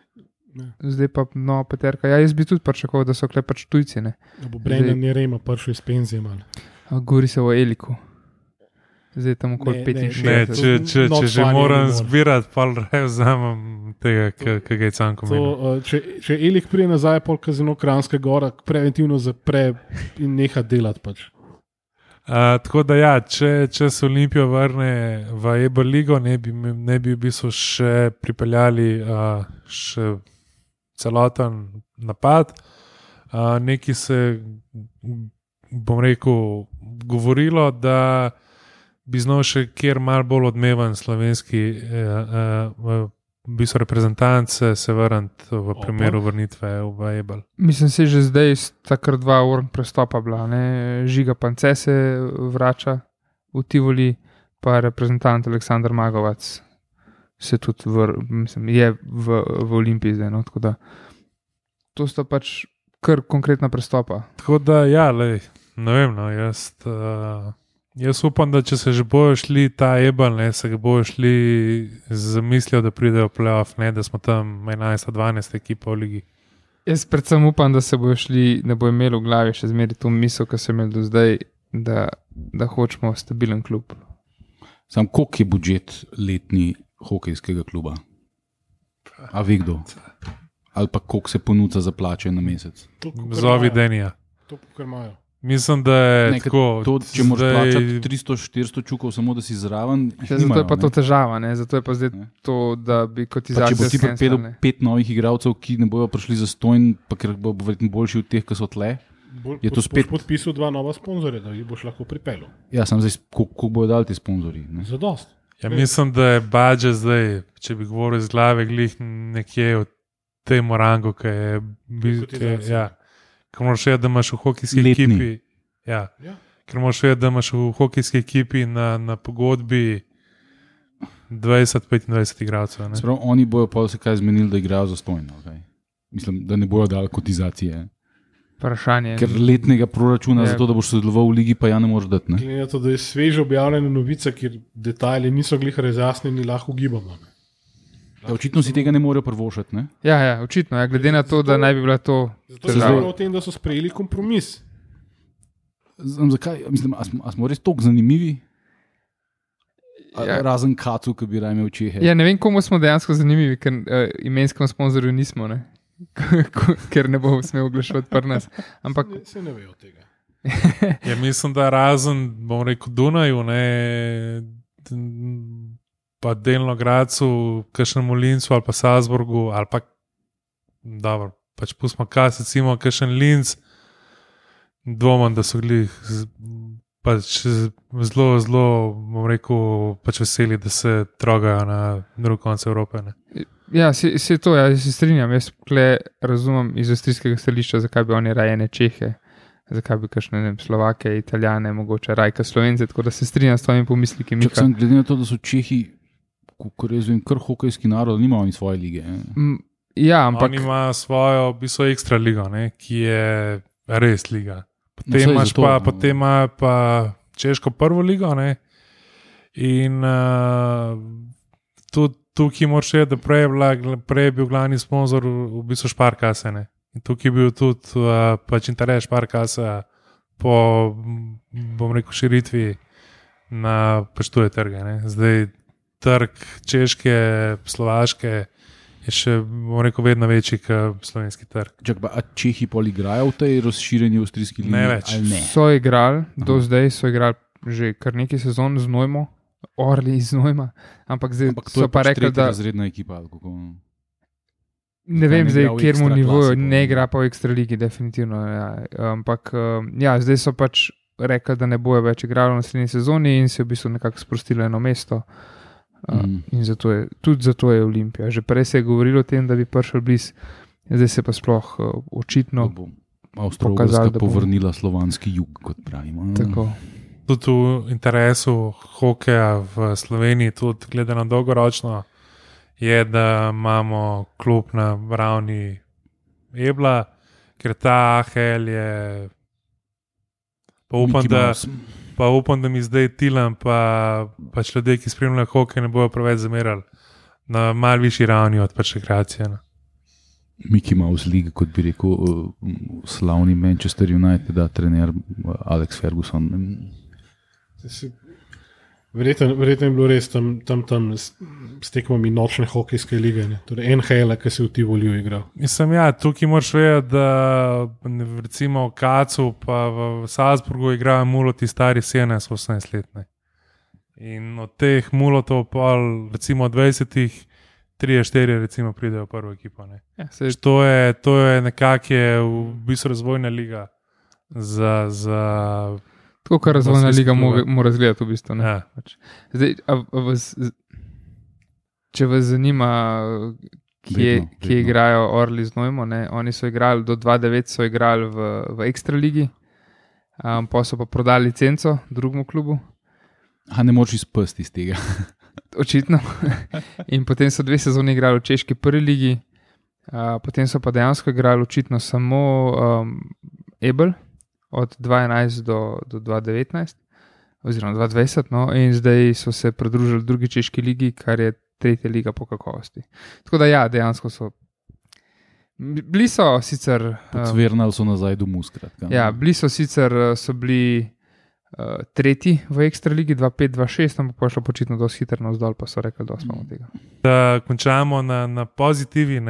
Zdaj pa nova peterka. Ja, jaz bi tudi pričakoval, da so pač tujci. Ne? Da bo Brendan Jerema prišel iz penzije malo. Govori se o Eliku. Zdaj tam okoli 65. Če že moram zbirati, pa vzamem tega, kaj je canko meni. Če Elik prije nazaj, pol Kazino Kranjska gora, preventivno zapre in neha delati pač. Tako da ja, če se Olimpijo vrne v Ebel ligo, ne bi v bistvu še pripeljali še celoten napad. Nekaj se, bom rekel, govorilo, da bi znal še kjer malo bolj odmeven slovenski reprezentant se vrniti v primeru vrnitve v Ebel. Mislim, se že zdaj takr 2 urn prestopa bila. Ne? Žiga Pance se vrača v Tivoli, pa reprezentant Aleksandar Magovac se tudi je v Olimpiji zdaj. No? Tako da to sta pač kar konkretna prestopa. Tako da ja, ne vem, jaz upam, da če se že bojo šli ta Ebel, se ga bojo šli z mislijo, da pridejo v playoff, ne, da smo tam 11-12 ekipa v ligi. Jaz predvsem upam, da se bojo šli, da bo imel v glavi še zmeraj to misel, ki sem imel do zdaj, da hočemo stabilen klub. Sam koliko je budžet letni hokejskega kluba? A ve kdo? Ali pa koliko se ponudza za plače na mesec? Zovi Denija. To, kar imajo. Mislim, da je Nekaj, tako. to, če moraš plačati 300-400 čukov, samo da si zraven. Zato je pa to težava, ne? Zato je pa zdaj to, da bi kotizacija. Če bo ti pripeljal 5 novih igralcev, ki ne bojo prišli za stojn, pa ker bo verjetno boljši od teh, ki so tle. Je to spet podpisal 2 nova sponzorja, da jih boš lahko pripeljal. Ja, sam zdaj, koliko bojo dali ti sponzorji? Za dost. Ja, mislim, da je budžet zdaj, če bi govoril iz glave, glih nekje v tem rangu, ki je. Ker moraš vedeti, da imaš v hokejski ekipi. Ja. Ker moraš vedeti, da imaš v hokejski ekipi na pogodbi 20-25 igralcev. Sprav, oni bojo pa se kaj zmenili, da igrajo za stojno. Okay? Mislim, da ne bojo dali kotizacije. Vprašanje. Ker letnega proračuna za to, da boš sodeloval v ligi, pa ja ne moreš dati. Glede na to, da je sveže objavljena novica, kjer detajli niso glih razjasnjeni, lahko ugibamo. Ja, očitno si tega ne morejo prvošati, ne? Ja, očitno. Ja, glede na to, da naj bi bila to zato se zdi o tem, da so sprejeli kompromis. Zakaj? Mislim, a smo res toliko zanimivi? Ja. Razen Kacu, ki bi rajme v Čehe. Ja, ne vem, komu smo dejansko zanimivi, ker imenskemu sponzorju nismo, ne? Ker ne bo smel oglaševati pri nas. Ampak se ne vejo tega. Ja, mislim, da razen, bom rekel, Dunaju, ne, pa delno Gracu, kakšnem Lincu ali pa Salzburgu, ali pa, dobro, pač pustimo kas, recimo kakšen Linz, dvomam, da so bili pač zelo, bom rekel, pač veseli, da se trogajo na drug konec Evrope. Ne. ja, se to, ja, se strinjam, jaz razumem iz avstrijskega stališča, zakaj bi oni rajene Čehe, zakaj bi kakšne Slovake, Italijane, mogoče rajka Slovence, tako da se strinjam s tvojimi pomisliki. Sem glede na to, da so Čehi, ko razumem, kar hokejski narod, nimajo oni svoje lige. Ja, ampak oni imajo svojo, v bistvu ekstra ligo, ne, ki je res liga. Potem imajo pa češko prvo ligo, ne, in tudi tukaj moraš reči, da prej je bil glavni sponzor v bistvu Sparkase, ne. In tukaj je bil tudi pač interes Sparkasa po, bom rekel, širitvi na pač tuje trge, ne. Zdaj trg Češke, Slovaške je še, bom rekel, vedno večji kot slovenski trg. A Čehi pol igrajo v tej razširjeni avstrijski ligi? Ne več. Ne? So igrali, do zdaj so igrali že kar nekaj sezon z Nojmo, Orli iz Nojma, ampak zdaj so pa rekli, da razredna ekipa, kako... Ne vem zdaj, v kjermu nivoju, ne igra igra. pa v ekstra ligi, definitivno. Ja. Ampak ja, zdaj so pač rekli, da ne bojo več igrali v naslednji sezoni in se v bistvu nekako sprostilo eno mesto. In tudi zato je Olimpija. Že prej se je govorilo o tem, da bi prišel bliz, zdaj se pa sploh očitno Avstro-Ogrska povrnila slovanski jug, kot pravimo. Tako. Tudi v interesu hokeja v Sloveniji, tudi gledano dolgoročno, je, da imamo klub na ravni Ebla, ker ta AHL je pa upam, da mi zdaj Tilan pa pač ljudje, ki spremljajo hokej, ne bojo preveč zamerali na malo višji ravni od pač rekreacije. Mickey Mouse League, kot bi rekel slavni Manchester United, trener Alex Ferguson. Verjetno je bilo res tam s tekmami nočne hokejske lige, ne? Torej NHL, ki se v Tivoliju igral. Mislim, ja, tukaj moraš vedeti, da recimo v Kacu pa v Salzburgu igrajo muloti stari 17-18 let. Ne? In od teh mulotov pol, recimo 20-ih, 3-4 recimo pridejo v prvo ekipo. Ne? Ja, to je nekako v bistvu razvojna liga za tako, kar razvojna liga mora izgledati v bistvu. Ja. Zdaj, če vas zanima, kje igrajo Orli z Nojmo, ne? Oni so igrali do 2009, so igrali v ekstra ligi, pa so pa prodali licenco drugemu klubu. Ne moreš izpasti iz tega. Očitno. In potem so 2 sezoni igrali v češki prvi ligi, potem so pa dejansko igrali očitno samo Ebel od 2011 do 2019, oziroma 2020, no, in zdaj so se pridružili drugi češki ligi, kar je 3. liga po kakovosti. Tako da ja, dejansko so Bili so sicer. Zvernali so nazaj domov, skratka. Ja, bili so sicer so bili tretji v ekstra ligi 2-5-2-6, ampak pa je šlo počitno dosti hitro navzdol, pa so rekli, da smo od tega. Da končamo na pozitivi.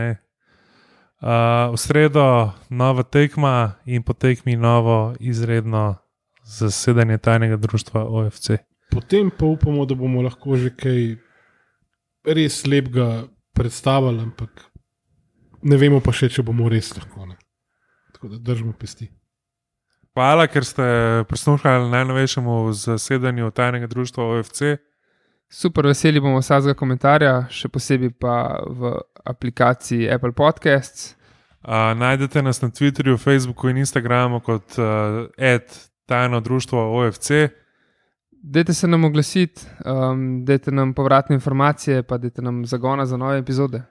V sredo nova tekma in po tekmi novo izredno zasedanje tajnega društva OFC. Potem pa upamo, da bomo lahko že kaj res lepega predstavili, ampak ne vemo pa še, če bomo res lahko. Ne. Tako da držimo pesti. Hvala, ker ste prisluhnili najnovejšemu zasedanju tajnega društva OFC. Super, veseli bomo vsakega komentarja, še posebej pa v aplikaciji Apple Podcasts. Najdete nas na Twitterju, Facebooku in Instagramu kot @tajno društvo OFC. Dajte se nam oglasiti, dajte nam povratne informacije, pa dajte nam zagona za nove epizode.